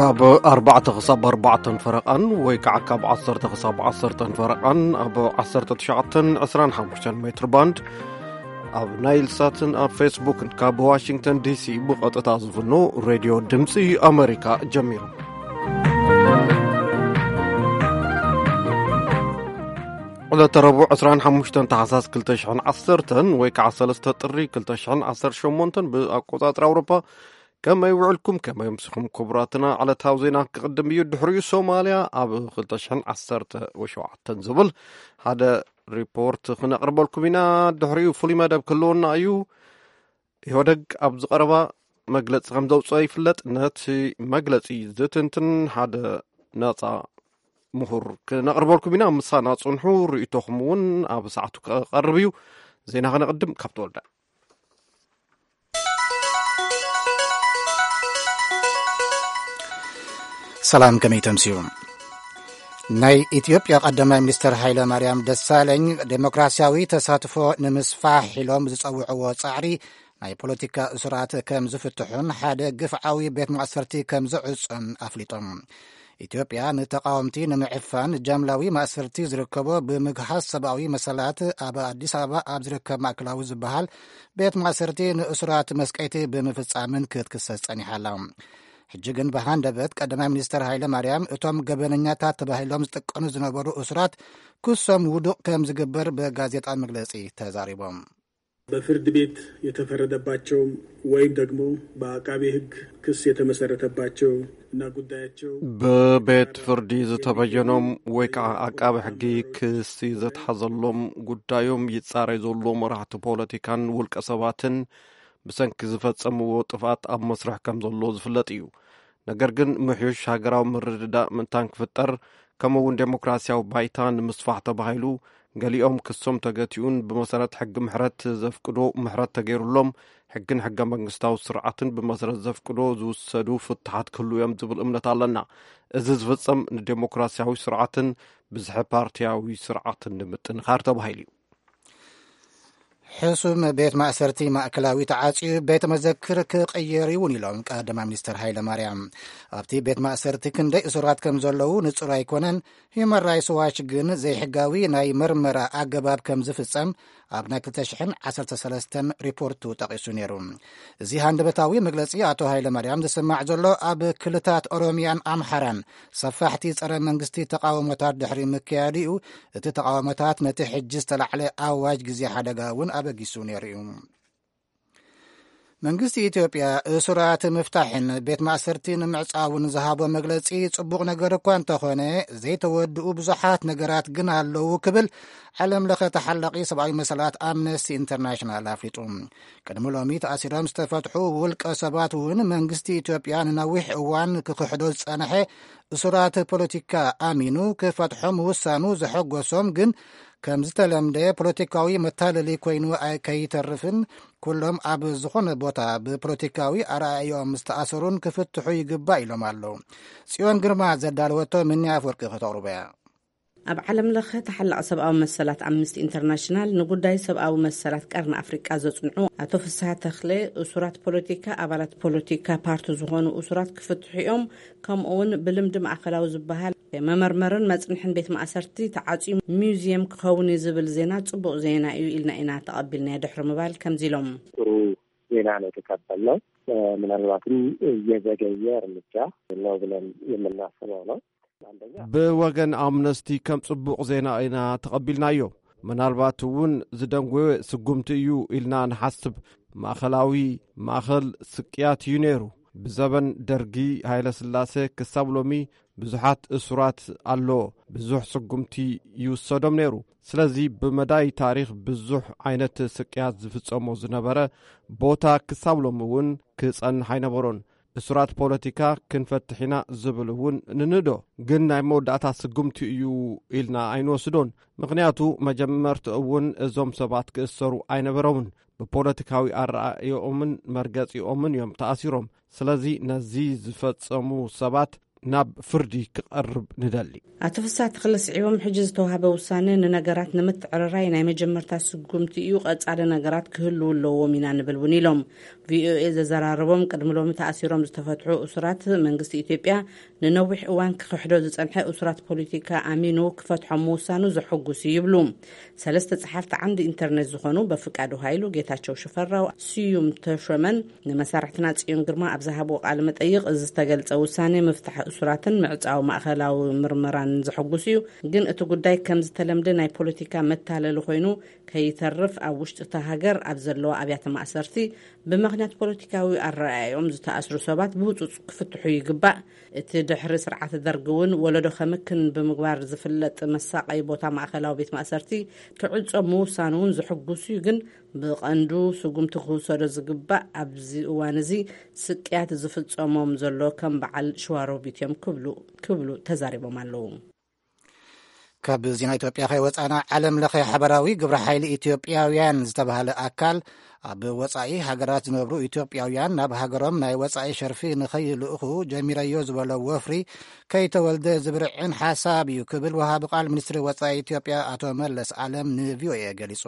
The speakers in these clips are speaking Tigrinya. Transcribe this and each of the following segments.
ኣብ ኣርባዕተ ክሳብ ኣርባዕተን ፈረቓን ወይ ከዓ ካብ ዓሰርተ ክሳብ ዓሰርተን ፈረቓን ኣብ ዓሰርተ ትሽዓተን ዕስራን ሓሙሽተን ሜትር ባንድ ኣብ ናይል ሳትን ኣብ ፌስቡክን ካብ ዋሽንግተን ዲሲ ብቐጥታ ዝፍኖ ሬድዮ ድምፂ ኣሜሪካ ጀሚሩ። ዕለተ ረቡዕ ዕስራን ሓሙሽተን ታሕሳስ ክልተ ሽሕን ዓሰርተን ወይ ከዓ ሰለስተ ጥሪ ክልተ ሽሕን ዓሰርተ ሸሞንተን ብኣቆፃፅራ ኣውሮፓ። ከመይ ውዕልኩም? ከመይ ኣምሲኹም? ክቡራትና፣ ዕለታዊ ዜና ክቕድም እዩ። ድሕሪኡ ሶማልያ ኣብ ክልተ ሽሕን ዓሰርተ ሸውዓተን ዝብል ሓደ ሪፖርት ክነቕርበልኩም ኢና። ድሕሪኡ ፍሉይ መደብ ክህልወና እዩ። ኢህወደግ ኣብ ዝቐረባ መግለጺ ከም ዘውፅኦ ይፍለጥ። ነቲ መግለጺ ዝትንትን ሓደ ነፃ ምሁር ክነቕርበልኩም ኢና። ምሳና ጽንሑ፣ ርእይቶኹም እውን ኣብ ሰዓቱ ክቐርብ እዩ። ዜና ከነቕድም ካብ ተወልደ። ሰላም፣ ከመይ ተምስዩ? ናይ ኢትዮጵያ ቀዳማይ ሚኒስትር ሃይለ ማርያም ደሳለኝ ዴሞክራሲያዊ ተሳትፎ ንምስፋሕ ኢሎም ዝጸውዕዎ ጻዕሪ ናይ ፖለቲካ እሱራት ከም ዝፍትሑን ሓደ ግፍዓዊ ቤት ማእሰርቲ ከም ዝዕጾን ኣፍሊጦም። ኢትዮጵያ ንተቃወምቲ ንምዕፋን ጃምላዊ ማእሰርቲ ዝርከቦ ብምግሃስ ሰብኣዊ መሰላት ኣብ ኣዲስ ኣበባ ኣብ ዝርከብ ማእከላዊ ዝበሃል ቤት ማእሰርቲ ንእሱራት መስቀይቲ ብምፍጻምን ክትክሰስ ጸኒሓ ኣላ። ሕጂ ግን ብሃንደበት ቀዳማይ ሚኒስትር ሃይለ ማርያም እቶም ገበነኛታት ተባሂሎም ዝጥቀኑ ዝነበሩ እሱራት ክሶም ውዱቕ ከም ዝግበር ብጋዜጣ መግለጺ ተዛሪቦም። በፍርድ ቤት የተፈረደባቸውም ወይም ደግሞ በአቃቤ ሕግ ክስ የተመሰረተባቸው እና ጉዳያቸው ብቤት ፍርዲ ዝተበየኖም ወይ ከዓ ኣቃቢ ሕጊ ክሲ ዘትሓዘሎም ጉዳዮም ይጻረይ ዘሎ መራሕቲ ፖለቲካን ውልቀ ሰባትን ብሰንኪ ዝፈጸምዎ ጥፍኣት ኣብ መስርሕ ከም ዘሎ ዝፍለጥ እዩ። ነገር ግን ምሕዩሽ ሃገራዊ ምርድዳእ ምእንታን ክፍጠር ከምኡ እውን ዴሞክራሲያዊ ባይታ ንምስፋሕ ተባሂሉ ገሊኦም ክሶም ተገቲኡን ብመሰረት ሕጊ ምሕረት ዘፍቅዶ ምሕረት ተገይሩሎም ሕግን ሕገ መንግስታዊ ስርዓትን ብመሰረት ዘፍቅዶ ዝውሰዱ ፍትሓት ክህሉ እዮም ዝብል እምነት ኣለና። እዚ ዝፍጸም ንዴሞክራሲያዊ ስርዓትን ብዝሒ ፓርቲያዊ ስርዓትን ንምጥንኻር ተባሂሉ እዩ። ሕሱም ቤት ማእሰርቲ ማእከላዊ ተዓጽዩ ቤተ መዘክር ክቕየር እውን ኢሎም ቀዳማይ ሚኒስትር ሃይለ ማርያም። ኣብቲ ቤት ማእሰርቲ ክንደይ እሱራት ከም ዘለዉ ንጹር ኣይኮነን። ሂዩማን ራይትስ ዋች ግን ዘይሕጋዊ ናይ መርመራ ኣገባብ ከም ዝፍጸም ኣብ ናይ ክልተ ሽሕን ዓሰርተ ሰለስተን ሪፖርቱ ጠቒሱ ነይሩ። እዚ ሃንደበታዊ መግለጺ ኣቶ ሃይለ ማርያም ዝስማዕ ዘሎ ኣብ ክልታት ኦሮሚያን ኣምሓራን ሰፋሕቲ ጸረ መንግስቲ ተቃውሞታት ድሕሪ ምክያዱ እዩ። እቲ ተቃውሞታት ነቲ ሕጂ ዝተላዕለ ኣዋጅ ግዜ ሓደጋ እውን ኣበጊሱ ነይሩ እዩ። መንግስቲ ኢትዮጵያ እሱራት ምፍታሕን ቤት ማእሰርቲ ንምዕጻውን ዝሃቦ መግለጺ ጽቡቕ ነገር እኳ እንተኾነ ዘይተወድኡ ብዙሓት ነገራት ግን ኣለዉ ክብል ዓለም ለኸ ተሓላቒ ሰብኣዊ መሰላት ኣምነስቲ ኢንተርናሽናል ኣፍሊጡ። ቅድሚ ሎሚ ተኣሲሮም ዝተፈትሑ ውልቀ ሰባት እውን መንግስቲ ኢትዮጵያ ንነዊሕ እዋን ክኽሕዶ ዝጸንሐ እሱራት ፖለቲካ ኣሚኑ ክፈትሖም ውሳኑ ዘሐጎሶም ግን ከም ዝተለምደ ፖለቲካዊ መታለሊ ኮይኑ ከይተርፍን ኩሎም ኣብ ዝኾነ ቦታ ብፖለቲካዊ ኣረኣእዮም ዝተኣሰሩን ክፍትሑ ይግባእ ኢሎም ኣለዉ። ጽዮን ግርማ ዘዳለወቶ ምኒ ኣፍወርቂ ከተቕርቦ እያ። ኣብ ዓለም ለኸ ተሓላቒ ሰብኣዊ መሰላት ኣምነስቲ ኢንተርናሽናል ንጉዳይ ሰብኣዊ መሰላት ቀርኒ ኣፍሪቃ ዘጽንዑ ኣቶ ፍስሃ ተኽለ እሱራት ፖለቲካ ኣባላት ፖለቲካ ፓርቲ ዝኾኑ እሱራት ክፍትሑ እዮም። ከምኡ እውን ብልምዲ ማእኸላዊ ዝበሃል መመርመርን መጽንሕን ቤት ማእሰርቲ ተዓጽዩ ሚውዚየም ክኸውን እዩ ዝብል ዜና ጽቡቕ ዜና እዩ ኢልና ኢና ተቐቢልናዮ ድሕሪ ምባል ከምዚ ኢሎም። ጥሩ ዜና ነው የተቀበልነው። ምናልባትም እየዘገየ እርምጃ ነው ብለን የምናስበው ነው። ብወገን ኣምነስቲ ከም ጽቡቕ ዜና ኢና ተቐቢልናዮ። ምናልባት እውን ዝደንጎየ ስጉምቲ እዩ ኢልና ንሓስብ። ማእኸላዊ ማእኸል ስቅያት እዩ ነይሩ። ብዘበን ደርጊ ሃይለ ስላሴ ክሳብ ሎሚ ብዙሓት እሱራት ኣሎ። ብዙሕ ስጉምቲ ይውሰዶም ነይሩ። ስለዚ ብመዳይ ታሪኽ ብዙሕ ዓይነት ስቅያት ዝፍጸሞ ዝነበረ ቦታ ክሳብ ሎሚ እውን ክጸንሕ ኣይነበሮን። እሱራት ፖለቲካ ክንፈትሕ ኢና ዝብል እውን ንንዶ፣ ግን ናይ መወዳእታ ስጉምቲ እዩ ኢልና ኣይንወስዶን። ምኽንያቱ መጀመርትኡ እውን እዞም ሰባት ክእሰሩ ኣይነበሮምን። ብፖለቲካዊ ኣረኣእዮኦምን መርገጺኦምን እዮም ተኣሲሮም። ስለዚ ነዚ ዝፈጸሙ ሰባት ናብ ፍርዲ ክቐርብ ንደሊ። ኣቶ ፍስሃ ተኽለ ስዒቦም፣ ሕጂ ዝተዋህበ ውሳነ ንነገራት ንምትዕርራይ ናይ መጀመርታ ስጉምቲ እዩ፣ ቀጻሊ ነገራት ክህልዉ ኣለዎም ኢና ንብል እውን ኢሎም። ቪኦኤ ዘዘራረቦም፣ ቅድሚ ሎሚ ተኣሲሮም ዝተፈትሑ እሱራት፣ መንግስቲ ኢትዮጵያ ንነዊሕ እዋን ክኽሕዶ ዝጸንሐ እሱራት ፖለቲካ ኣሚኑ ክፈትሖም ምውሳኑ ዘሐጉስ እዩ ይብሉ። ሰለስተ ጸሓፍቲ ዓንዲ ኢንተርኔት ዝኾኑ በፍቃዱ ሃይሉ፣ ጌታቸው ሽፈራው፣ ስዩም ተሾመን ንመሳርሕትና ጽዮን ግርማ ኣብ ዝሃብዎ ቃለ መጠይቕ፣ እዚ ዝተገልጸ ውሳኔ ምፍታሕ እሱራትን ምዕጻው ማእኸላዊ ምርመራን ዘሐጉስ እዩ፣ ግን እቲ ጉዳይ ከም ዝተለምደ ናይ ፖለቲካ መታለሊ ኮይኑ ከይተርፍ፣ ኣብ ውሽጢ እታ ሃገር ኣብ ዘለዋ ኣብያተ ማእሰርቲ ብምኽንያት ፖለቲካዊ ኣረኣእያኦም ዝተኣስሩ ሰባት ብህጹጽ ክፍትሑ ይግባእ። እቲ ድሕሪ ስርዓት ደርግ እውን ወለዶ ከምክን ብምግባር ዝፍለጥ መሳቐይ ቦታ ማእኸላዊ ቤት ማእሰርቲ ክዕጾ ምውሳኑ እውን ዘሐጉስ እዩ፣ ግን ብቐንዱ ስጉምቲ ክውሰዶ ዝግባእ ኣብዚ እዋን እዚ ስቅያት ዝፍጸሞም ዘሎ ከም በዓል ሽዋሮቢት እዮም ክብሉ፣ ክብሉ ተዛሪቦም ኣለዉ። ካብ ዜና ኢትዮጵያ ከይወጻና፣ ዓለም ለኸ ሓበራዊ ግብረ ሓይሊ ኢትዮጵያውያን ዝተባህለ ኣካል ኣብ ወጻኢ ሃገራት ዝነብሩ ኢትዮጵያውያን ናብ ሃገሮም ናይ ወጻኢ ሸርፊ ንኸይልእኹ ጀሚረዮ ዝበሎ ወፍሪ ከይተወልደ ዝብርዕን ሓሳብ እዩ ክብል ወሃቢ ቃል ሚኒስትሪ ወጻኢ ኢትዮጵያ ኣቶ መለስ ኣለም ንቪኦኤ ገሊጹ።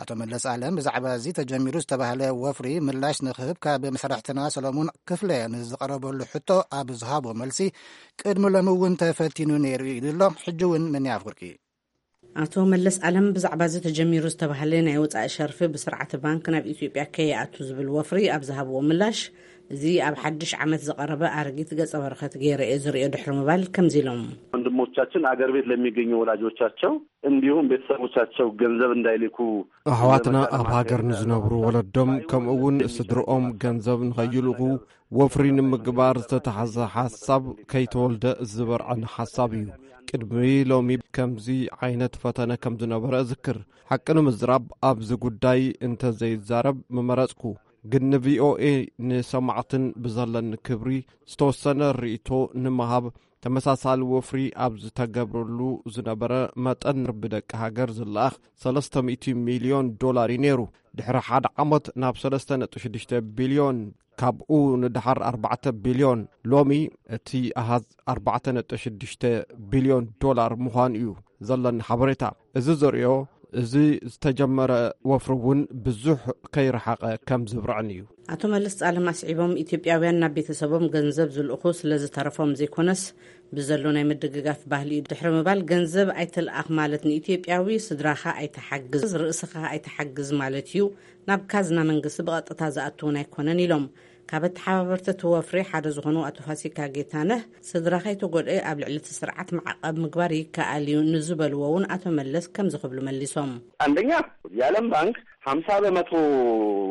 ኣቶ መለስ ኣለም ብዛዕባ እዚ ተጀሚሩ ዝተባህለ ወፍሪ ምላሽ ንክህብ ካብ መሳርሕትና ሰሎሙን ክፍለ ንዝቐረበሉ ሕቶ ኣብ ዝሃቦ መልሲ፣ ቅድሚ ሎሚ እውን ተፈቲኑ ነይሩ ኢሉ ኣሎ። ሕጂ እውን ምን ኣፍርቂ? ኣቶ መለስ ኣለም ብዛዕባ እዚ ተጀሚሩ ዝተባህለ ናይ ወጻኢ ሸርፊ ብስርዓተ ባንክ ናብ ኢትዮጵያ ከይኣቱ ዝብል ወፍሪ ኣብ ዝሃብዎ ምላሽ፣ እዚ ኣብ ሓድሽ ዓመት ዝቐረበ ኣረጊት ገጸ በረኸት ገይረ እየ ዝርእዮ ድሕሪ ምባል ከምዚ ኢሎም። ወንድሞቻችን አገር ቤት ለሚገኙ ወላጆቻቸው እንዲሁም ቤተሰቦቻቸው ገንዘብ እንዳይልኩ፣ ኣሕዋትና ኣብ ሃገር ንዝነብሩ ወለዶም ከምኡ እውን ስድርኦም ገንዘብ ንኸይልእኹ ወፍሪ ንምግባር ዝተታሕዘ ሓሳብ ከይተወልደ ዝበርዐን ሓሳብ እዩ። ቅድሚ ሎሚ ከምዚ ዓይነት ፈተነ ከም ዝነበረ እዝክር። ሓቂ ንምዝራብ ኣብዚ ጉዳይ እንተዘይዛረብ ምመረጽኩ። ግን ንቪኦኤ ንሰማዕትን ብዘለኒ ክብሪ ዝተወሰነ ርእይቶ ንምሃብ፣ ተመሳሳሊ ወፍሪ ኣብ ዝተገብረሉ ዝነበረ መጠን ብደቂ ሃገር ዝለኣኽ ሰለስተ ሚእቲ ሚልዮን ዶላር እዩ ነይሩ። ድሕሪ ሓደ ዓመት ናብ ሰለስተ ነጥቢ ሽዱሽተ ቢልዮን፣ ካብኡ ንደሓር ኣርባዕተ ቢልዮን፣ ሎሚ እቲ ኣሃዝ ኣርባዕተ ነጥቢ ሽዱሽተ ቢልዮን ዶላር ምዃኑ እዩ ዘለኒ ሓበሬታ። እዚ ዘርእዮ፣ እዚ ዝተጀመረ ወፍሪ እውን ብዙሕ ከይረሓቐ ከም ዝብርዕን እዩ። ኣቶ መለስ ጻለም ኣስዒቦም፣ ኢትዮጵያውያን ናብ ቤተሰቦም ገንዘብ ዝልእኹ ስለ ዝተረፎም ዘይኮነስ፣ ብዘሎ ናይ ምድግጋፍ ባህሊ እዩ ድሕሪ ምባል፣ ገንዘብ ኣይትልኣኽ ማለት ንኢትዮጵያዊ ስድራኻ ኣይትሓግዝ፣ ርእስኻ ኣይትሓግዝ ማለት እዩ። ናብ ካዝና መንግስቲ ብቐጥታ ዝኣትውን ኣይኮነን ኢሎም። ካብ ኣተሓባበርቲ እቲ ወፍሪ ሓደ ዝኾኑ ኣቶ ፋሲካ ጌታነህ፣ ስድራ ከይተጎድአ ኣብ ልዕሊ እቲ ስርዓት ማዕቐብ ምግባር ይከኣል እዩ ንዝበልዎ እውን ኣቶ መለስ ከምዚ ክብሉ መሊሶም። አንደኛ፣ የዓለም ባንክ ሀምሳ በመቶ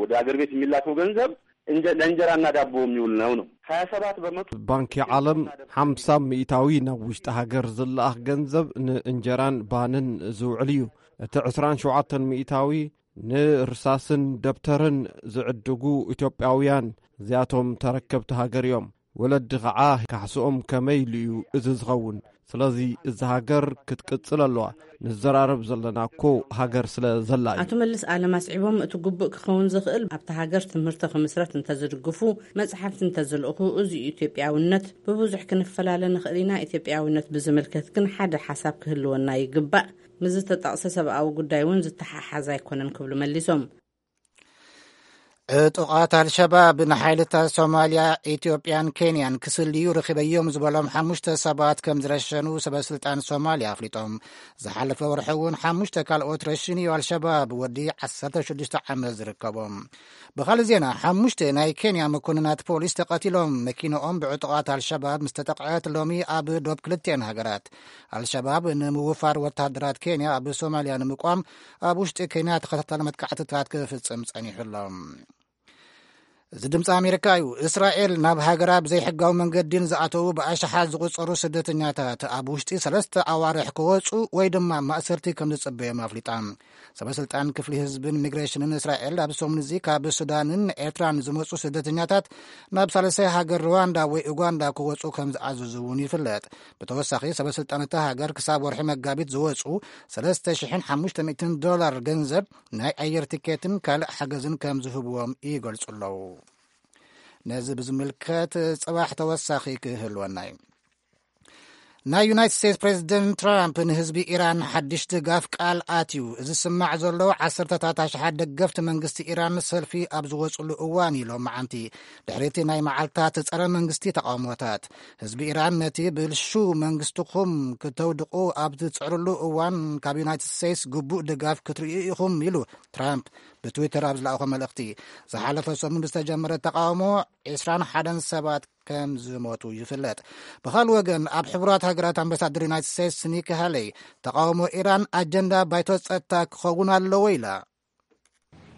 ወደ አገር ቤት የሚላከው ገንዘብ እንጀ-፣ ለእንጀራና ዳቦ የሚውል ነው ነው። ሀያ ሰባት በመቶ ባንኪ ዓለም ሓምሳ ሚእታዊ ናብ ውሽጢ ሃገር ዝለኣኽ ገንዘብ ንእንጀራን ባንን ዝውዕል እዩ። እቲ ዕስራን ሸውዓተን ሚእታዊ ንርሳስን ደብተርን ዝዕድጉ ኢትዮጵያውያን እዚኣቶም ተረከብቲ ሃገር እዮም። ወለዲ ኸዓ ካሕስኦም ከመይ ኢሉ እዩ እዚ ዝኸውን? ስለዚ እዛ ሃገር ክትቅጽል ኣለዋ። ንዘራረብ ዘለና እኮ ሃገር ስለ ዘላ እዩ። ኣቶ መለስ ኣለም ኣስዒቦም፣ እቲ ግቡእ ክኸውን ዝኽእል ኣብታ ሃገር ትምህርቲ ክምስረት እንተዝድግፉ፣ መጽሓፍቲ እንተዝልእኹ፣ እዚ እዩ ኢትዮጵያውነት። ብብዙሕ ክንፈላለ ንኽእል ኢና። ኢትዮጵያውነት ብዝምልከት ግን ሓደ ሓሳብ ክህልወና ይግባእ። ምስ ዝተጠቕሰ ሰብኣዊ ጉዳይ እውን ዝተሓሓዝ ኣይኮነን ክብሉ መሊሶም። ዕጡቓት ኣልሸባብ ንሓይልታት ሶማልያ፣ ኢትዮጵያን ኬንያን ክስልዩ ርኺበዮም ዝበሎም ሓሙሽተ ሰባት ከም ዝረሸኑ ሰበስልጣን ሶማልያ ኣፍሊጦም። ዝሓለፈ ወርሒ እውን ሓሙሽተ ካልኦት ረሽኑ እዩ ኣልሸባብ፣ ወዲ ዓሰርተ ሽዱሽተ ዓመት ዝርከቦም። ብኻልእ ዜና፣ ሓሙሽተ ናይ ኬንያ መኮንናት ፖሊስ ተቐቲሎም። መኪንኦም ብዕጡቓት ኣልሸባብ ምስ ተጠቕዐት፣ ሎሚ ኣብ ዶብ ክልቲአን ሃገራት ኣልሸባብ ንምውፋር ወተሃደራት ኬንያ ኣብ ሶማልያ ንምቋም ኣብ ውሽጢ ኬንያ ተኸታታሊ መጥቃዕትታት ክፍጽም ጸኒሑ ኣሎ። እዚ ድምፂ ኣሜሪካ እዩ። እስራኤል ናብ ሃገራ ብዘይሕጋዊ መንገዲ ንዝኣተዉ ብኣሽሓት ዝቑጸሩ ስደተኛታት ኣብ ውሽጢ ሰለስተ ኣዋርሕ ክወፁ ወይ ድማ ማእሰርቲ ከም ዝፅበዮም ኣፍሊጣ። ሰበስልጣን ክፍሊ ህዝብን ሚግሬሽንን እስራኤል ኣብ ሰሙን እዚ ካብ ሱዳንን ኤርትራን ዝመፁ ስደተኛታት ናብ ሳልሳይ ሃገር ሩዋንዳ ወይ ኡጋንዳ ክወፁ ከም ዝኣዘዙ እውን ይፍለጥ። ብተወሳኺ፣ ሰበስልጣን እታ ሃገር ክሳብ ወርሒ መጋቢት ዝወፁ ሰለስተ ሽሕን ሓሙሽተ ሚእትን ዶላር ገንዘብ ናይ ኣየር ቲኬትን ካልእ ሓገዝን ከም ዝህብዎም ይገልጹ ኣለዉ። ነዚ ብዝምልከት ጽባሕ ተወሳኺ ክህልወና እዩ። ናይ ዩናይትድ ስቴትስ ፕሬዚደንት ትራምፕ ንህዝቢ ኢራን ሓድሽ ድጋፍ ቃል ኣትዩ። እዚ ዝስማዕ ዘሎ፣ ዓሰርተታት ኣሽሓት ደገፍቲ መንግስቲ ኢራን ሰልፊ ኣብ ዝወፅሉ እዋን እዩ፣ ሎማዓንቲ፣ ድሕሪቲ ናይ መዓልታት ጸረ መንግስቲ ተቃውሞታት። ህዝቢ ኢራን ነቲ ብልሹ መንግስትኹም ክተውድቑ ኣብ ዝጽዕርሉ እዋን፣ ካብ ዩናይትድ ስቴትስ ግቡእ ድጋፍ ክትርእዩ ኢኹም፣ ኢሉ ትራምፕ ብትዊተር ኣብ ዝለኣኾ መልእኽቲ። ዝሓለፈ ሰሙን ብዝተጀመረ ተቃውሞ ዕስራን ሓደን ሰባት ከም ዝሞቱ ይፍለጥ። ብኻልእ ወገን፣ ኣብ ሕቡራት ሃገራት ኣምባሳደር ዩናይትድ ስቴትስ ኒኪ ሃለይ፣ ተቃውሞ ኢራን ኣጀንዳ ባይቶ ጸጥታ ክኸውን ኣለዎ ኢላ።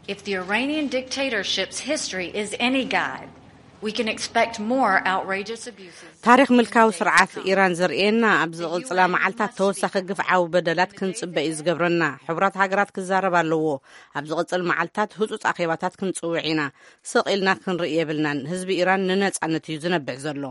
If the Iranian dictatorship's history is any guide, we can expect more outrageous abuses. ታሪኽ ምልካዊ ስርዓት ኢራን ዘርእየና፣ ኣብ ዝቕጽላ መዓልታት ተወሳኺ ግፍዓዊ በደላት ክንጽበ እዩ ዝገብረና። ሕቡራት ሃገራት ክዛረብ ኣለዎ። ኣብ ዝቕጽል መዓልታት ህጹጽ ኣኼባታት ክንጽውዕ ኢና። ስቕ ኢልና ክንርኢ የብልናን። ህዝቢ ኢራን ንነጻነት እዩ ዝነብዕ ዘሎ።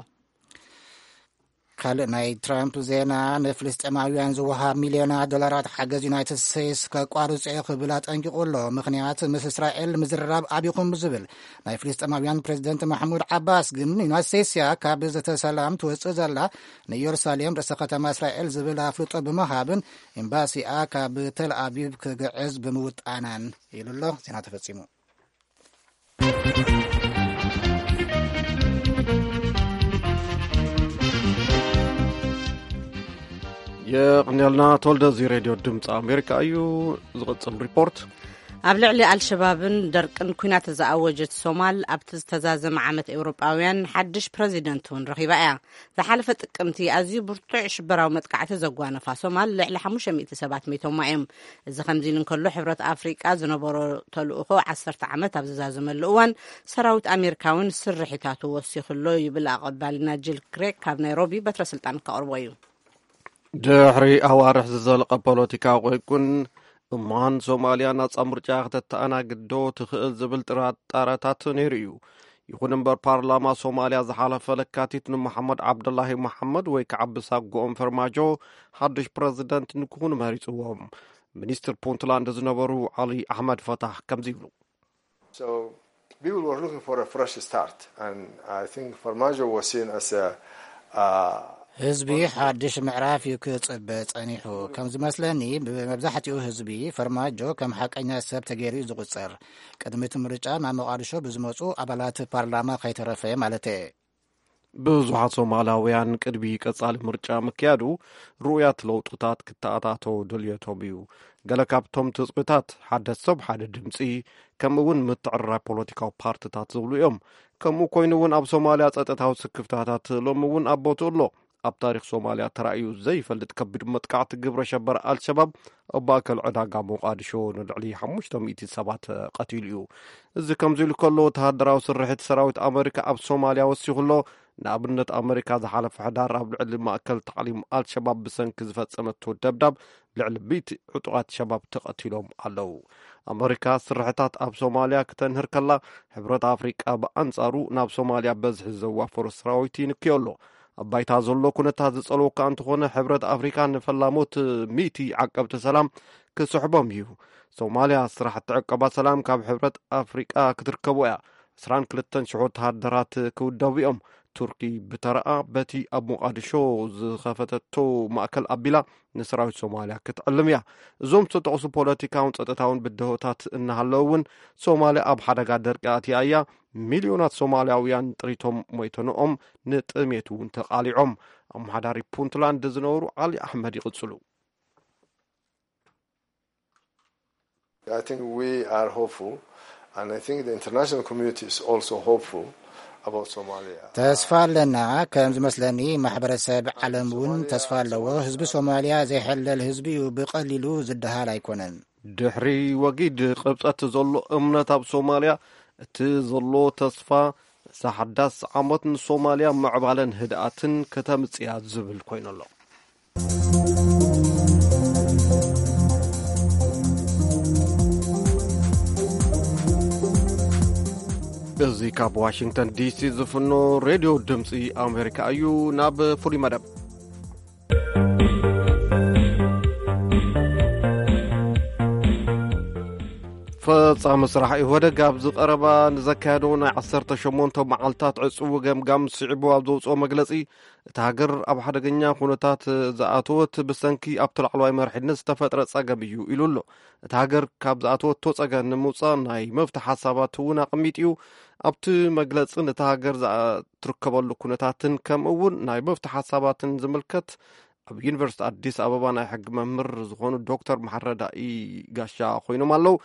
ካልእ ናይ ትራምፕ ዜና፣ ንፍልስጤማውያን ዝወሃብ ሚልዮናት ዶላራት ሓገዝ ዩናይትድ ስቴትስ ከቋርጾ እዩ ክብል ኣጠንቂቑ ኣሎ። ምኽንያት፣ ምስ እስራኤል ምዝርራብ ኣብኹም ዝብል ናይ ፍልስጤማውያን ፕሬዚደንት ማሕሙድ ዓባስ ግን፣ ዩናይትድ ስቴትስ እያ ካብ ዘተ ሰላም ትወጽእ ዘላ፣ ንኢየሩሳሌም ርእሰ ከተማ እስራኤል ዝብል ኣፍልጦ ብምሃብን ኤምባሲኣ ካብ ተል ኣቪቭ ክግዕዝ ብምውጣናን ኢሉ ኣሎ። ዜና ተፈጺሙ። የቕንየልና ተወልደ። እዚ ሬድዮ ድምፂ ኣሜሪካ እዩ። ዝቕፅል ሪፖርት። ኣብ ልዕሊ ኣልሸባብን ደርቅን ኩናት ዝኣወጀት ሶማል፣ ኣብቲ ዝተዛዘመ ዓመት ኤውሮጳውያን ሓድሽ ፕረዚደንት እውን ረኺባ እያ። ዝሓለፈ ጥቅምቲ ኣዝዩ ብርቱዕ ሽበራዊ መጥቃዕቲ ዘጓነፋ ሶማል፣ ልዕሊ ሓሙሽተ ሚእቲ ሰባት ሞይቶማ እዮም። እዚ ከምዚ ኢሉ እንከሎ፣ ሕብረት ኣፍሪቃ ዝነበሮ ተልእኾ ዓሰርተ ዓመት ኣብ ዝዛዘመሉ እዋን፣ ሰራዊት ኣሜሪካ እውን ስርሒታቱ ወሲኹ ኣሎ ይብል ኣቐባልና ጂል ክሬግ ካብ ናይሮቢ በትረ ስልጣን ከቕርቦ እዩ። ድሕሪ ኣዋርሕ ዝዘለቐ ፖለቲካዊ ቁንቁን፣ እማን ሶማልያ ናጻ ምርጫ ከተተኣናግድ ዶ ትኽእል ዝብል ጥርጣረታት ነይሩ እዩ። ይኹን እምበር፣ ፓርላማ ሶማልያ ዝሓለፈ ለካቲት ንመሓመድ ዓብደላሂ መሓመድ ወይ ከዓ ብሳጎኦም ፈርማጆ ሓድሽ ፕረዚደንት ንክኾኑ መሪጽዎም። ሚኒስትር ፑንትላንድ ዝነበሩ ዓሊ ኣሕመድ ፈታህ ከምዚ ይብሉ። So people were looking for a fresh start, and I think Farmaajo was seen as a, uh, ህዝቢ ሓድሽ ምዕራፍ እዩ ክጽበ ጸኒሑ። ከም ዝመስለኒ፣ ብመብዛሕትኡ ህዝቢ ፈርማጆ ከም ሓቀኛ ሰብ ተገይሩ እዩ ዝቑጸር። ቅድሚ እቲ ምርጫ ናብ ሞቓዲሾ ብዝመጹ ኣባላት ፓርላማ ከይተረፈ ማለት እየ። ብዙሓት ሶማላውያን ቅድሚ ቀጻሊ ምርጫ ምክያዱ፣ ርኡያት ለውጥታት ክተኣታተው ድልየቶም እዩ። ገለ ካብቶም ትጽቢታት፣ ሓደ ሰብ ሓደ ድምጺ፣ ከምኡ እውን ምትዕርራይ ፖለቲካዊ ፓርትታት ዝብሉ እዮም። ከምኡ ኮይኑ እውን፣ ኣብ ሶማልያ ጸጥታዊ ስክፍታታት ሎሚ እውን ኣብ ቦትኡ ኣሎ። ኣብ ታሪኽ ሶማልያ ተራእዩ ዘይፈልጥ ከቢድ መጥቃዕቲ ግብረ ሸበራ ኣልሸባብ ኣብ ማእከል ዕዳጋ ሞቃዲሾ ንልዕሊ ሓሙሽተ ሚእቲ ሰባት ቀቲሉ እዩ። እዚ ከምዚ ኢሉ ከሎ፣ ወተሃደራዊ ስርሒት ሰራዊት ኣመሪካ ኣብ ሶማልያ ወሲኹ ኣሎ። ንኣብነት፣ ኣመሪካ ዝሓለፈ ሕዳር ኣብ ልዕሊ ማእከል ታዕሊም ኣልሸባብ ብሰንኪ ዝፈጸመቶ ደብዳብ፣ ልዕሊ ሚእቲ ዕጡቓት ሸባብ ተቐቲሎም ኣለዉ። ኣመሪካ ስርሒታት ኣብ ሶማልያ ክተንህር ከላ፣ ሕብረት ኣፍሪቃ ብኣንጻሩ ናብ ሶማልያ በዝሒ ዘዋፈሮ ሰራዊት ይንክዮ ኣሎ። ኣብ ባይታ ዘሎ ኩነታት ዝጸልወካ እንተኾነ፣ ሕብረት ኣፍሪካ ንፈላሞት ሚእቲ ዓቀብቲ ሰላም ክስሕቦም እዩ። ሶማልያ ስራሕቲ ዕቀባ ሰላም ካብ ሕብረት ኣፍሪቃ ክትርከቦ እያ። ዕስራን ክልተን ሽሕ ወተሃደራት ክውደቡ እዮም። ቱርኪ ብተረኣ በቲ ኣብ ሞቃዲሾ ዝኸፈተቶ ማእከል ኣቢላ ንሰራዊት ሶማልያ ክትዕልም እያ። እዞም ዝተጠቕሱ ፖለቲካውን ጸጥታውን ብድሆታት እናሃለዉ እውን፣ ሶማልያ ኣብ ሓደጋ ደርቂ ኣትያ እያ። ሚልዮናት ሶማልያውያን ጥሪቶም ሞይተንኦም፣ ንጥሜት እውን ተቓሊዖም። ኣመሓዳሪ ፑንትላንድ ዝነበሩ ዓሊ ኣሕመድ ይቕጽሉ። I think we are hopeful, and I think the international community is also hopeful about Somalia. ተስፋ ኣለና። ከም ዝመስለኒ፣ ማሕበረሰብ ዓለም እውን ተስፋ ኣለዎ። ህዝቢ ሶማልያ ዘይሕለል ህዝቢ እዩ። ብቐሊሉ ዝደሃል ኣይኮነን። ድሕሪ ወጊድ ቅብጸት ዘሎ እምነት ኣብ ሶማልያ፣ እቲ ዘሎ ተስፋ፣ እዛ ሓዳስ ዓመት ንሶማልያ ምዕባለን ህድኣትን ከተምጽእ እያ ዝብል ኮይኑ ኣሎ። እዚ ካብ ዋሽንግተን ዲሲ ዝፍኖ ሬድዮ ድምፂ ኣሜሪካ እዩ። ናብ ፍሉይ መደብ። ፈጻሚ ስራሕ ኢህወደግ ኣብዚ ቀረባ ንዘካየዶ ናይ ዓሰርተ ሸሞንተ መዓልታት ዕጽዊ ገምጋም ስዒቡ ኣብ ዘውፅኦ መግለጺ፣ እታ ሃገር ኣብ ሓደገኛ ኩነታት ዝኣተወት ብሰንኪ ኣብቲ ላዕለዋይ መሪሕነት ዝተፈጥረ ጸገም እዩ ኢሉ ኣሎ። እታ ሃገር ካብ ዝኣተወቶ ጸገም ንምውጻእ ናይ መፍትሒ ሓሳባት እውን ኣቐሚጡ እዩ። ኣብቲ መግለጺ ነታ ሃገር ዝኣ-፣ ትርከበሉ ኩነታትን ከምኡ እውን ናይ መፍትሒ ሓሳባትን ዝምልከት ኣብ ዩኒቨርሲቲ ኣዲስ ኣበባ ናይ ሕጊ መምህር ዝኾኑ ዶክተር መሓረዳኢ ጋሻ ኮይኖም ኣለዉ።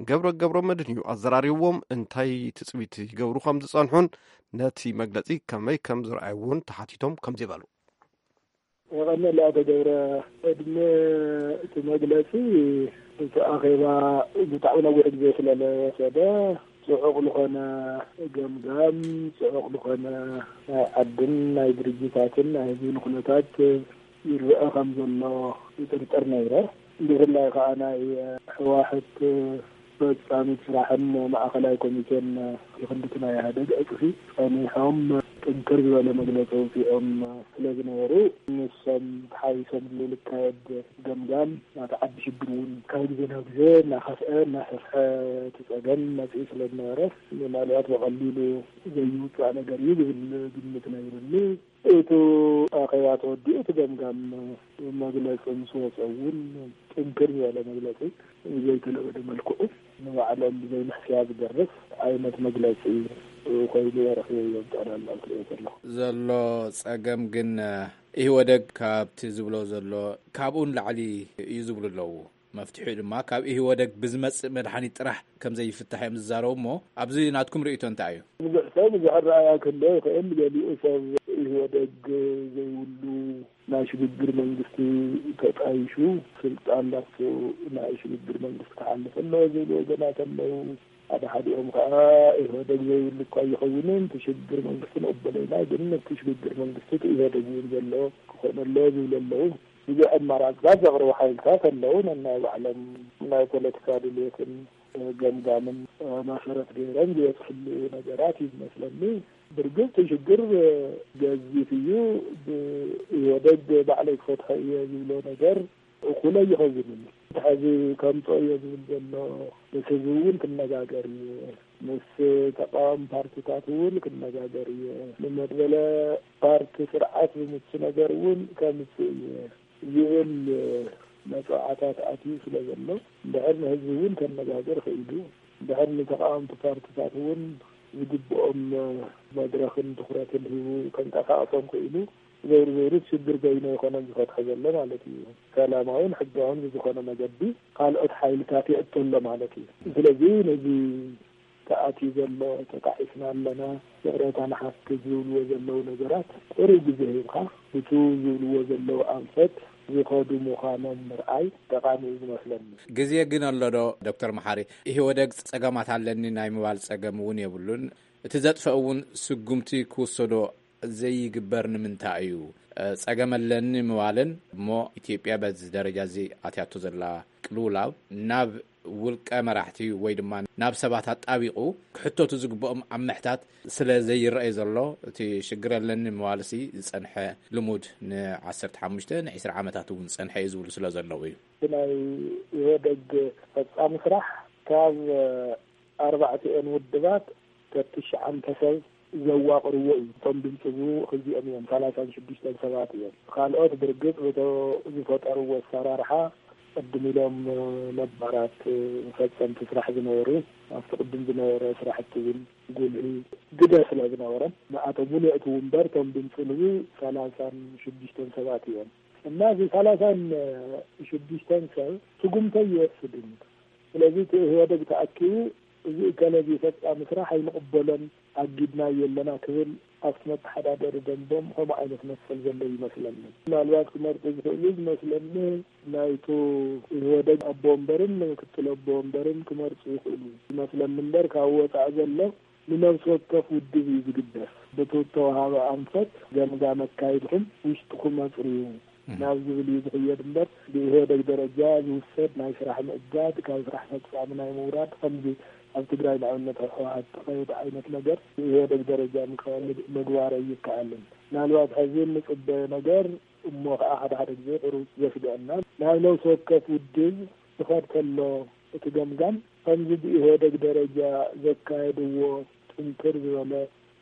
ገብረ ገብረ መድህን እዩ ኣዘራሪብዎም። እንታይ ትጽቢት ይገብሩ ከም ዝጸንሑን ነቲ መግለጺ ከመይ ከም ዝረኣይዎን ተሓቲቶም ከምዚ በሉ። የቐነለ ኣቶ ገብረ፣ ዕድመ እቲ መግለጺ እቲ ኣኼባ ብጣዕሚ ነዊሕ ግዜ ስለ ዝወሰደ፣ ጽዑቕ ዝኾነ ገምጋም፣ ጽዑቕ ዝኾነ ናይ ዓድን ናይ ድርጅታትን ናይ ህዝብን ኩነታት ይረአ ከም ዘሎ ይጥርጥር ነይረ። ብፍላይ ከኣ ናይ ህወሓት ፈጻሚት ስራሕን ማእኸላይ ኮሚቴን ክንድቲ ናይ ኢህኣደግ ዕጽፊ ጸኒሖም ጥንክር ዝበለ መግለጺ ኣውጺኦም ስለ ዝነበሩ፣ ንሶም ተሓዊሶምሉ ዝካየድ ገምጋም ናቲ ዓዲ ሽግር እውን ካብ ግዜ ናብ ግዜ እናኸፍአ እናሰፍሐ እቲ ጸገም መጺኡ ስለ ዝነበረ፣ ምናልባት ብቐሊሉ ዘይውጻእ ነገር እዩ ዝብል ግምት ነይሩኒ። እቲ ኣኼባ ተወዲኡ እቲ ገምጋም መግለጺ ምስ ወጸ እውን ጥንክር ዝበለ መግለጺ ብዘይተለመደ መልክዑ ንባዕሎም ብዘይ ምሕስያ ዝደርፍ ዓይነት መግለጺ ኮይኑ እየ ረኺበዮ። ጠቕላላ ክሪኦ ከለኹ ዘሎ ጸገም ግን ኢህወደግ ካብቲ ዝብሎ ዘሎ ካብኡ ንላዕሊ እዩ ዝብሉ ኣለዉ። መፍትሒኡ ድማ ካብ ኢህወደግ ብዝመጽእ መድሓኒት ጥራሕ ከም ዘይፍታሕ እዮም ዝዛረቡ። እሞ ኣብዚ ናትኩም ርእይቶ እንታይ እዩ? ብዙሕ ሰብ ብዙሕ ኣረኣእያ ክህልዎ ይኽእል። ገሊኡ ሰብ ኢህወደግ ዘይብሉ ናይ ሽግግር መንግስቲ ተጣይሹ ስልጣን ላቱ ናይ ሽግግር መንግስቲ ክሓልፍ ኣለዎ ዝብሉ ወገናት ኣለዉ። ሓደ ሓዲኦም ከዓ ኢህወደግ ዘይብሉ እኳ ኣይኸውንን፣ እቲ ሽግግር መንግስቲ ንቕበሎ ኢና፣ ግን እቲ ሽግግር መንግስቲ እቲ ኢህወደግ እውን ዘለዎ ክኾን ኣለዎ ዝብሉ ኣለዉ። ብዙሕ ኣማራፅታት ዘቕርቡ ሓይልታት ኣለዉ። ነናይ ባዕሎም ናይ ፖለቲካ ድልየትን ገምጋምን መሰረት ገይሮም ዝበፅሕሉ ነገራት እዩ ዝመስለኒ። ብርግፅ እቲ ሽግር ገዚፍ እዩ። ብኢህወደግ ባዕለይ ክፈትሖ እየ ዝብሎ ነገር እኹል ኣይኸውንን። ሕዚ ከምፅኦ እየ ዝብል ዘሎ ምስ ህዝቢ እውን ክነጋገር እየ፣ ምስ ተቃዋሚ ፓርቲታት እውን ክነጋገር እየ፣ ንመድበለ ፓርቲ ስርዓት ዝምቹ ነገር እውን ከምፅእ እየ ዝብል መፅዋዕታት ኣትዩ ስለ ዘሎ፣ እንድሕር ንህዝቢ እውን ከነጋገር ክኢሉ፣ እንድሕር ንተቃወምቲ ፓርቲታት እውን ዝግብኦም መድረኽን ትኹረትን ሂቡ ከንቀሳቕሶም ክኢሉ፣ ዘይሩ ዘይሩ ሽግር በይኑ ኣይኮነን ዝፈትሖ ዘሎ ማለት እዩ። ሰላማውን ሕጋውን ብዝኾነ መገዲ ካልኦት ሓይልታት የእቶ ኣሎ ማለት እዩ። ስለዚ ነዚ ተኣትዩ ዘሎ፣ ተጣዒስና ኣለና፣ ይቕሬታ ንሓትት ዝብልዎ ዘለዉ ነገራት ቁሩብ ግዜ ሂብካ፣ ብቱ ዝብልዎ ዘለዉ ኣንፈት ዝኸዱ ምዃኖም ምርኣይ ጠቓሚ እዩ ዝመስለኒ። ግዜ ግን ኣሎ ዶ ዶክተር መሓሪ? ኢህወደግ ጸገማት ኣለኒ ናይ ምባል ጸገም እውን የብሉን። እቲ ዘጥፍኦ እውን ስጉምቲ ክውሰዶ ዘይግበር ንምንታይ እዩ? ጸገም ኣለኒ ምባልን እሞ ኢትዮጵያ በዚ ደረጃ እዚ ኣትያቶ ዘላ ቅልውላው ናብ ውልቀ መራሕቲ ወይ ድማ ናብ ሰባት ኣጣቢቑ ክሕተቱ ዝግብኦም ኣብ ምሕታት ስለ ዘይረኣይ ዘሎ፣ እቲ ሽግር ኣለኒ ምባልሲ ዝጸንሐ ልሙድ ንዓሰርተ ሓሙሽተ ንዒስራ ዓመታት እውን ዝጸንሐ እዩ ዝብሉ ስለ ዘለዉ እዩ። ናይ ኢህወደግ ፈጻሚ ስራሕ ካብ ኣርባዕቲኦን ውድባት ተትሽዓንተ ሰብ ዘዋቕርዎ እዩ። እቶም ድምፂ ዝህቡ ክልቲኦም እዮም፣ ሰላሳን ሽዱሽተን ሰባት እዮም። ካልኦት ብርግፅ በቶ ዝፈጠርዎ ኣሰራርሓ ቅድም ኢሎም ነባራት ፈፀምቲ ስራሕ ዝነበሩ ኣብቲ ቅድም ዝነበረ ስራሕቲ እውን ጉልሂ ግደ ስለ ዝነበሮም ንኣቶም እውን የእትዉ እምበር እቶም ድምፂ ዝህቡ ሰላሳን ሽዱሽተን ሰባት እዮም። እና እዚ ሰላሳን ሽዱሽተን ሰብ ስጉምተ ይወስድ እዩ። ስለዚ እቲ ኢህወደግ ተኣኪቡ እዚ እከለ እዚ ፈጻሚ ስራሕ ኣይንቕበሎን ኣጊድናዮ ኣለና ክብል ኣብቲ መተሓዳደሪ ደንቦም ከምኡ ዓይነት መሰል ዘሎ ይመስለኒ። ምናልባት ክመርጡ ዝኽእሉ ዝመስለኒ ናይቱ ኢህወደግ ኣቦ ወንበርን ምክትል ኣቦ ወንበርን ክመርፁ ይኽእሉ ይመስለኒ እምበር ካብ ወፃኢ ዘሎ ንነብሲ ወከፍ ውድብ እዩ ዝግደስ። በቲ እተወሃበ ኣንፈት ገምጋም ኣካይድኩም ውሽጥኩም ኣፅርዩ ናብ ዝብል እዩ ዝኽየድ እምበር ብኢህወደግ ደረጃ ዝውሰድ ናይ ስራሕ ምእጋድ፣ ካብ ስራሕ ፈፃሚ ናይ ምውራድ ከምዚ ኣብ ትግራይ ንኣብነት ኣብ ህወሓት ተኸየደ ዓይነት ነገር ብኢህወደግ ደረጃ ምክያድ ምግባር ኣይከኣልን። ምናልባት ሕዚ እንፅበዮ ነገር እሞ ከዓ ሓደ ሓደ ግዜ ቁሩብ ዘስግአና ናብ ነብሲ ወከፍ ውድብ ዝኸድ ከሎ እቲ ገምጋም ከምዚ ብኢህወደግ ደረጃ ዘካየድዎ ጥንክር ዝበለ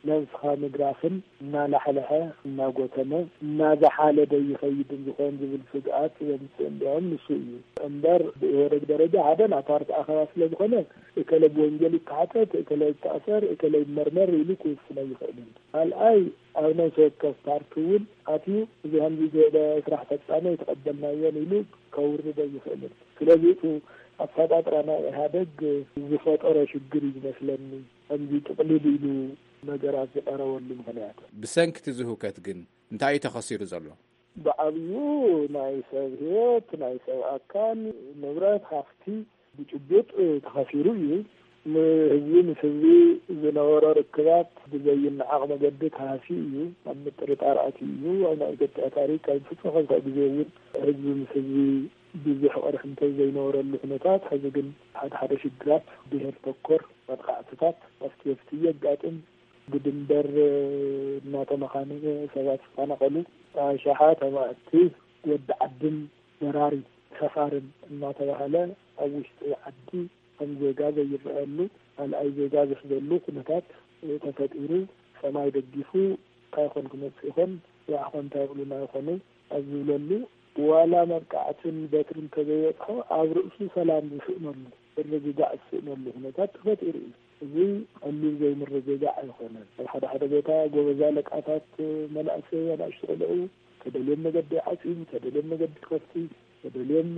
ነብስኻ ምድራፍን እናላሕለሐ፣ እናጎተመ፣ እናዘሓለደ ይኸይድን ዝኾን ዝብል ስግኣት ዘምፅእ እንዲያውም ንሱ እዩ እምበር፣ ብኢህወደግ ደረጃ ሓደ ናታ ኣርትኣኸባ ስለ ዝኾነ እከለ ብወንጀል ይተሓተት፣ እከለ ይተኣሰር፣ እከለ ይመርመር ኢሉ ክውስን ኣይኽእልን። ካልኣይ ኣብ ነፍሲ ወከፍ ፓርቲ እውን ኣትዩ እዚ ከምዚ ዝበለ ስራሕ ፈፃሚ ኣይተቐበልናዮን ኢሉ ከውርድ ኣይኽእልን። ስለዚ እቲ ኣፈጣጥራ ናይ ኢህኣደግ ዝፈጠሮ ሽግር እዩ ዝመስለኒ። ከምዚ ጥቕልል ኢሉ ነገራት ዝቐረበሉ ምኽንያት። ብሰንኪ እቲ ዝህውከት ግን እንታይ እዩ ተኸሲሩ ዘሎ? ብዓብዩ ናይ ሰብ ህይወት፣ ናይ ሰብ ኣካል፣ ንብረት፣ ሃፍቲ ብጭቡጥ ተኸሲሩ እዩ። ንህዝቢ ምስ ህዝቢ ዝነበሮ ርክባት ብዘይነዓቕ መገዲ ተሃስዩ እዩ። ኣብ ምጥርጣር ኣትዩ እዩ። ኣብ ናይ ኢትዮጵያ ታሪክ ካብ ፍጹም ከምሳእ ግዜ እውን ህዝቢ ምስ ህዝቢ ብዙሕ ቅርሕንተይ ዘይነበረሉ ኩነታት፣ ሕዚ ግን ሓደ ሓደ ሽግራት ብሄር ተኮር መጥቃዕትታት ኣብቲ ኣብቲ የጋጥም። ብድንበር እናተመኻነየ ሰባት ዝፈናቐሉ፣ ኣሽሓት ኣማእቲ ወዲ ዓድን በራሪ ሰፋርን እናተባህለ ኣብ ውሽጢ ዓዲ ከም ዜጋ ዘይረኣየሉ፣ ካልኣይ ዜጋ ዝሕዘሉ ኩነታት ተፈጢሩ፣ ሰማይ ደጊፉ እንታይ ኮን ክመጽእ ይኾን፣ ያዕኾ እንታይ ብሉና ይኾኑ ኣብ ዝብለሉ፣ ዋላ መብቃዕትን በትሪ እንተዘይበጽሖ ኣብ ርእሱ ሰላም ዝስእነሉ፣ ምርግጋእ ዝስእነሉ ኩነታት ተፈጢሩ እዩ። እዚ ቀሊል ዘይምርግጋእ ኣይኮነን። ኣብ ሓደ ሓደ ቦታ ጎበዝ ኣለቃታት መናእሰይ፣ ኣናእሽቱ ቆልዑ ተደልዮም መገዲ ይዓጽዩ፣ ተደልዮም መገዲ ይኸፍቱ፣ ተደልዮም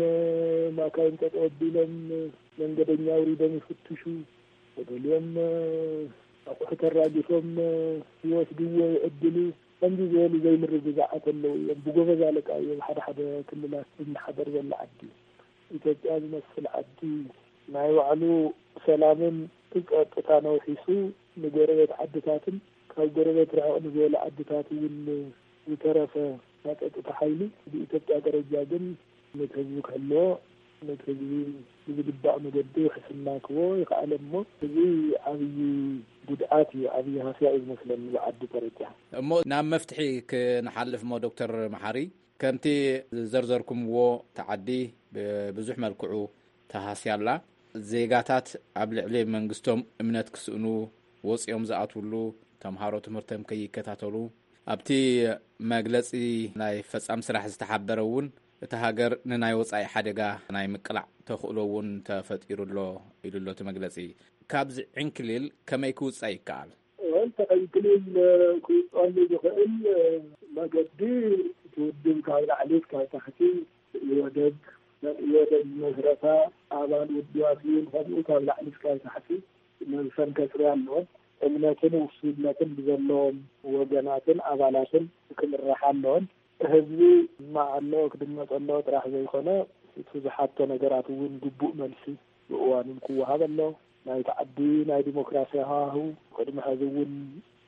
ማካይን ጠጠው ኣቢሎም መንገደኛ ኣውሪዶም ይፍትሹ፣ ተደልዮም ኣቑሑት ኣራጊፎም ይወስድዎ፣ ይዕድሉ። ከምዚ ዝበሉ ዘይምርግጋዓት ኣለዉ እዮም። ብጎበዝ ኣለቃ እዮም ሓደ ሓደ ክልላት ዝመሓደር ዘሎ ዓዲ። ኢትዮጵያ ዝመስል ዓዲ ናይ ባዕሉ ሰላምን ጸጥታን ኣውሒሱ ንጎረቤት ዓድታትን ካብ ጎረቤት ርሕቕ ንዝበሉ ዓድታት እውን ዝተረፈ ናይ ጸጥታ ሓይሊ ብኢትዮጵያ ደረጃ ግን ነቲ ህዝቢ ክሕልዎ፣ ነቲ ህዝቢ ብዝግባእ መገዲ ክስናክዎ ይኸኣለ እሞ፣ እዚ ዓብዪ ጉድኣት እዩ፣ ዓብዪ ሃስያ እዩ ዝመስለኒ ብዓዲ ደረጃ። እሞ ናብ መፍትሒ ክንሓልፍ እሞ ዶክተር መሓሪ፣ ከምቲ ዘርዘርኩምዎ፣ እቲ ዓዲ ብብዙሕ መልክዑ ተሃስያ ኣላ። ዜጋታት ኣብ ልዕሊ መንግስቶም እምነት ክስእኑ፣ ወፂኦም ዝኣትውሉ፣ ተምሃሮ ትምህርቶም ከይከታተሉ፣ ኣብቲ መግለፂ ናይ ፈጻሚ ስራሕ ዝተሓበረ እውን፣ እቲ ሃገር ንናይ ወጻኢ ሓደጋ ናይ ምቅላዕ ተኽእሎ እውን ተፈጢሩ ኣሎ ኢሉ ኣሎ እቲ መግለፂ። ካብዚ ዕንክሊል ከመይ ክውፃእ ይከኣል? ወል ተቐይቅሊል ክውፅኣሉ ዝኽእል መገዲ፣ እቲ ውድብ ካብ ላዕሊ እስካብ ታሕቲ፣ ኢህወደግ፣ ናይ ኢህወደግ መስረታ ኣባል ውድባት እውን ከምኡ ካብ ላዕሊ እስካብ ታሕቲ ነብሰን ከፅርያ ኣለወን። እምነትን ውሱንነትን ብዘለዎም ወገናትን ኣባላትን ክምርሓ ኣለወን። ህዝቢ ክስማዕ ኣለዎ፣ ክድመፅ ኣለዎ ጥራሕ ዘይኮነ፣ እቲ ዝሓቶ ነገራት እውን ግቡእ መልሲ ብእዋኑን ክወሃብ ኣለዎ። ናይቲ ዓዲ ናይ ዲሞክራሲ ሃዋህው ቅድሚ ሐዚ እውን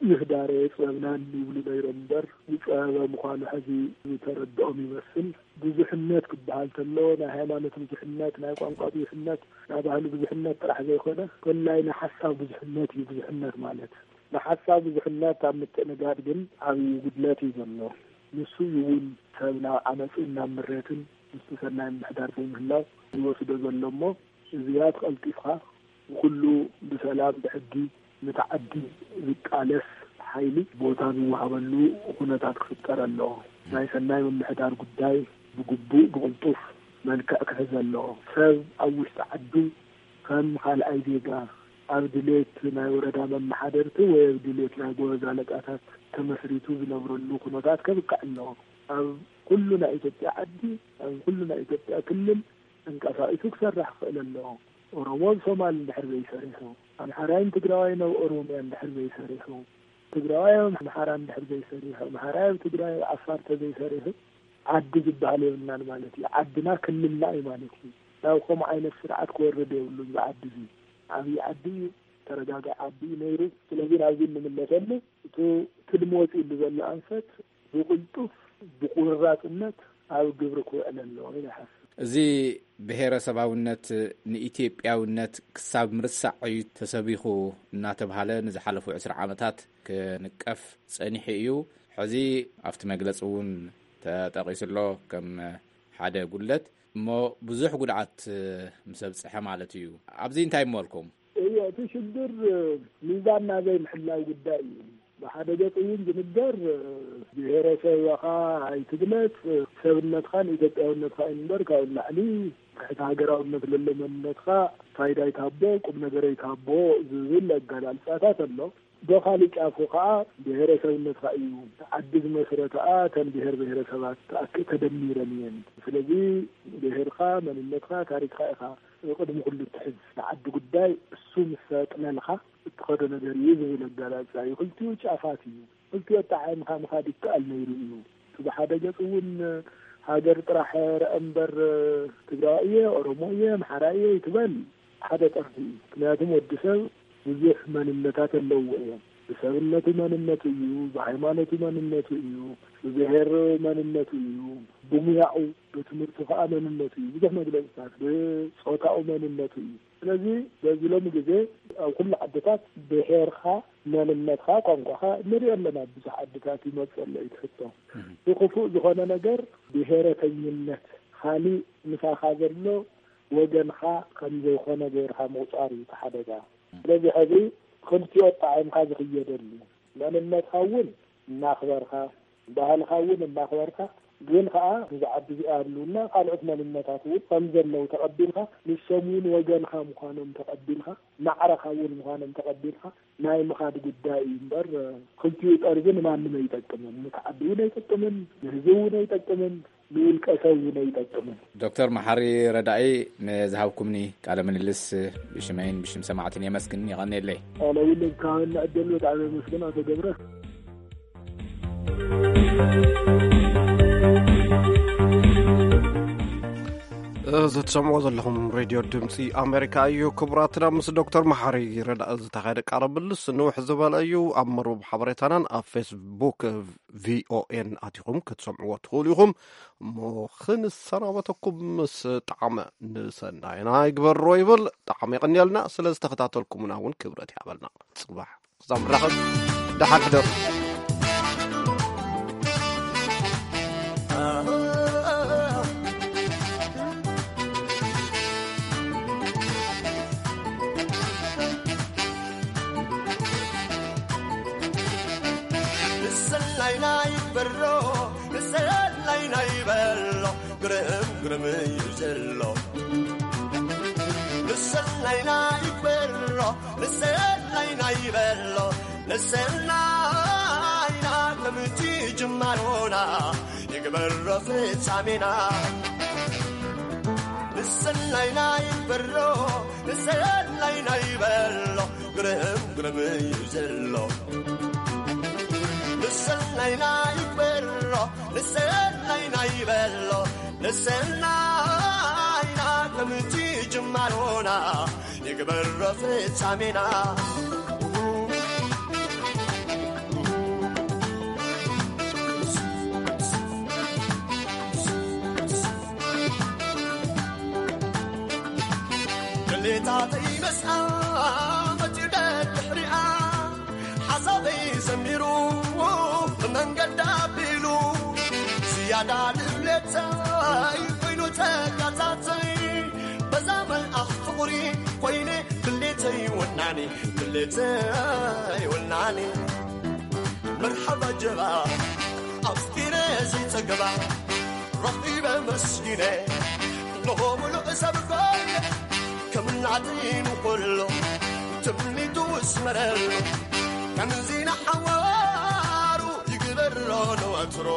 ይህዳረ የፅበብናን ይብሉ ነይሮም እምበር፣ ዝፀበበ ምዃኑ ሐዚ ዝተረድኦም ይመስል። ብዙሕነት ክበሃል ተሎ፣ ናይ ሃይማኖት ብዙሕነት፣ ናይ ቋንቋ ብዙሕነት፣ ናይ ባህሊ ብዙሕነት ጥራሕ ዘይኮነ፣ ኮላይ ናይ ሓሳብ ብዙሕነት እዩ ብዙሕነት ማለት። ንሓሳብ ብዙሕነት ኣብ ምትእንጋድ ግን ዓብዪ ጉድለት እዩ ዘሎ። ንሱ እዩ እውን ሰብ ናብ ዓመፅን ናብ ምሬትን ምስቲ ሰናይ ምምሕዳር ዘይምህላው ይወስዶ ዘሎ እሞ፣ እዚኣ ተቐልጢፍካ ብኩሉ ብሰላም ብሕጊ ነቲ ዓዲ ዝቃለስ ሓይሊ ቦታ ዝወሃበሉ ኩነታት ክፍጠር ኣለዎ። ናይ ሰናይ ምምሕዳር ጉዳይ ብግቡእ ብቕልጡፍ መልክዕ ክሕዝ ኣለዎ። ሰብ ኣብ ውሽጢ ዓዱ ከም ካልኣይ ዜጋ ኣብ ድሌት ናይ ወረዳ መመሓደርቲ ወይ ኣብ ድሌት ናይ ጎበዝ ኣለቃታት ተመስሪቱ ዝነብረሉ ኩነታት ከብቅዕ ኣለዎ። ኣብ ኩሉ ናይ ኢትዮጵያ ዓዲ፣ ኣብ ኩሉ ናይ ኢትዮጵያ ክልል ተንቀሳቒሱ ክሰርሕ ክኽእል ኣለዎ። ኦሮሞ ኣብ ሶማል እንድሕር ዘይሰሪሑ፣ ኣምሓራይን ትግራዋይን ኣብ ኦሮሚያ እንድሕር ዘይሰሪሑ፣ ትግራዋይ ኣብ ኣምሓራ እንድሕር ዘይሰሪሑ፣ ኣምሓራይ ኣብ ትግራይ፣ ኣብ ዓፋር ተዘይሰሪሑ፣ ዓዲ ዝበሃል የብልናን ማለት እዩ። ዓድና ክልልና እዩ ማለት እዩ። ናብ ከምኡ ዓይነት ስርዓት ክወርድ የብሉን። እዚ ዓዲ እዚ ዓብዪ ዓዲ እዩ፣ ተረጋጋኢ ዓዲ እዩ ነይሩ። ስለዚ ናብዚ እንምለሰሉ፣ እቲ ትልሚ ወፂኡሉ ዘሎ ኣንፈት ብቕልጡፍ፣ ብቁርራፅነት ኣብ ግብሪ ክውዕል ኣለዎ ኢለ ይሓስብ። እዚ ብሄረሰባውነት ንኢትዮጵያውነት ክሳብ ምርሳዕ እዩ ተሰቢኹ እናተብሃለ ንዝሓለፉ ዕስራ ዓመታት ክንቀፍ ጸኒሑ እዩ። ሕዚ ኣብቲ መግለጺ እውን ተጠቒሱ ኣሎ። ከም ሓደ ጉድለት እሞ ብዙሕ ጉድዓት ምስ ኣብፅሐ ማለት እዩ። ኣብዚ እንታይ እመልኩም? እዮ፣ እቲ ሽግር ሚዛን ናዘይ ምሕላው ጉዳይ እዩ። ብሓደ ገፅ እውን ዝንገር፣ ብሔረሰብኻ ኣይትግለፅ፣ ሰብነትኻን ኢትዮጵያውነትኻ እዩ እምበር፣ ካብኡ ንላዕሊ ትሕቲ ሃገራውነት ለሎ መንነትካ ፋይዳ ይትሃቦ፣ ቁም ነገር ይትሃቦ ዝብል ኣገላልፃታት ኣሎ። ብኻሊእ ጫፉ ከዓ ብሔረሰብነትካ እዩ። ዓዲ ዝመስረተኣ ተን ብሔር ብሔረሰባት ተኣክ-፣ ተደሚረን እየን። ስለዚ ብሔርካ፣ መንነትካ፣ ታሪክካ ኢኻ ቅድሚ ኩሉ ትሕዝ። ንዓዲ ጉዳይ እሱ ምስ ኣጥለልካ እትኸዶ ነገር እዩ ዝብል ኣገላልፃ እዩ። ክልቲኡ ጫፋት እዩ። ክልቲኡ ኣጣዓዒምካ ምኻድ ይከኣል ነይሩ እዩ። እቲ ብሓደ ገፅ እውን ሃገር ጥራሕ ርአ እምበር ትግራዋይ እየ፣ ኦሮሞ እየ፣ ኣምሓራ እየ ይትበል ሓደ ጠርፊ እዩ። ምክንያቱም ወዲ ሰብ ብዙሕ መንነታት ኣለዎ እዮም። ብሰብነቱ መንነቱ እዩ፣ ብሃይማኖቱ መንነቱ እዩ፣ ብብሔር መንነቱ እዩ፣ ብሙያኡ፣ ብትምህርቱ ከዓ መንነቱ እዩ። ብዙሕ መግለፅታት ብፆታኡ መንነቱ እዩ። ስለዚ በዚ ሎሚ ግዜ ኣብ ኩሉ ዓድታት ብሔርካ፣ መንነትካ፣ ቋንቋኻ ንሪኦ ኣለና። ብዙሕ ዓድታት ይመፅእ ኣሎ እዩ ትሕቶ። ብክፉእ ዝኾነ ነገር ብሔረተኝነት፣ ካሊእ ምሳኻ ዘሎ ወገንካ ከም ዘይኮነ ገይርካ ምቑፃር እዩ እቲ ሓደጋ። ስለዚ ሕዚ ክልቲኦ ኣጣዒምካ ዝኽየደሉ፣ መንነትካ እውን እናኽበርካ፣ ባህልካ እውን እናኽበርካ፣ ግን ከዓ እዚ ዓዲ እዚኣ ህልውና ካልኦት መንነታት እውን ከም ዘለዉ ተቐቢልካ፣ ንሶም እውን ወገንካ ምዃኖም ተቐቢልካ፣ ማዕረኻ እውን ምዃኖም ተቐቢልካ ናይ ምኻድ ጉዳይ እዩ እምበር፣ ክልቲኡ ጠርዚ ንማንም ኣይጠቅምን። ንቲ ዓዲ እውን ኣይጠቅምን፣ ንህዝቢ እውን ኣይጠቅምን፣ ንውልቀ ሰብ እውን ኣይጠቅምን። ዶክተር መሓሪ ረዳኢ፣ ንዝሃብኩምኒ ቃለ ምልልስ ብሽመይን ብሽም ሰማዕትን የመስግን። የቐንየለይ። ኣነ እውን ካብና ዕድል ብጣዕሚ የመስግን ኣቶ ገብረ። እዚ ትሰምዕዎ ዘለኹም ሬድዮ ድምፂ ኣሜሪካ እዩ። ክቡራትና፣ ምስ ዶክተር መሓሪ ረዳኢ ዝተኻየደ ቃለ ምልልስ ንውሕ ዝበለ እዩ። ኣብ መርበብ ሓበሬታናን ኣብ ፌስቡክ ቪኦኤን ኣቲኹም ክትሰምዕዎ ትኽእሉ ኢኹም። እሞ ክንሰናበተኩም ምስ ጣዕመ፣ ንሰናይና ይግበሮ ይብል። ጣዕመ የቐንየልና። ስለ ዝተኸታተልኩምና እውን ክብረት ይሃበልና። ፅባሕ ክሳብ ንራኸብ፣ ደሓን ሕደሩ። ንሰላይና ይበሮ፣ ንሰላይና ይበሎ፣ ግርም ግርም እዩ ዘሎ። ንሰላይና ይበሮ፣ ንሰላይና ይበሎ፣ ንሰላይና ከምቲ ጅማሮና ይግበሮ ፍጻሜና። ንሰላይና ይበሮ፣ ንሰላይና ይበሎ፣ ግርም ግርም እዩ ዘሎ። ንሰላይና ይበሮ፣ ንሰላይና ይበሎ፣ ንሰላይና ከምቲ ጅማሮና ይግበሮ ፍጻሜና። ድሌታተይ መስኣ መጺኡ ደድሕሪኣ ሓሳበይ ዘሚሩ ብመንገዳ ኣቢሉ ዝያዳ ድሌተይ ኮይኑ ተጋታተይ በዛ መልኣኽ ፍቕሪ ኮይነ ድሌተይ ወናኒ ድሌተይ ወናኒ መርሓባ ጀባ ኣፍቂረ ዘይጸገባ ረኺበ መስጊነ እንሆ ምሉእ ሰብ ኮይነ ከም ናተይ ንኹሎ ትምኒቱ ዝመረሉ ከምዚ ንሓዋሩ ይግበሮ ንወትሮ።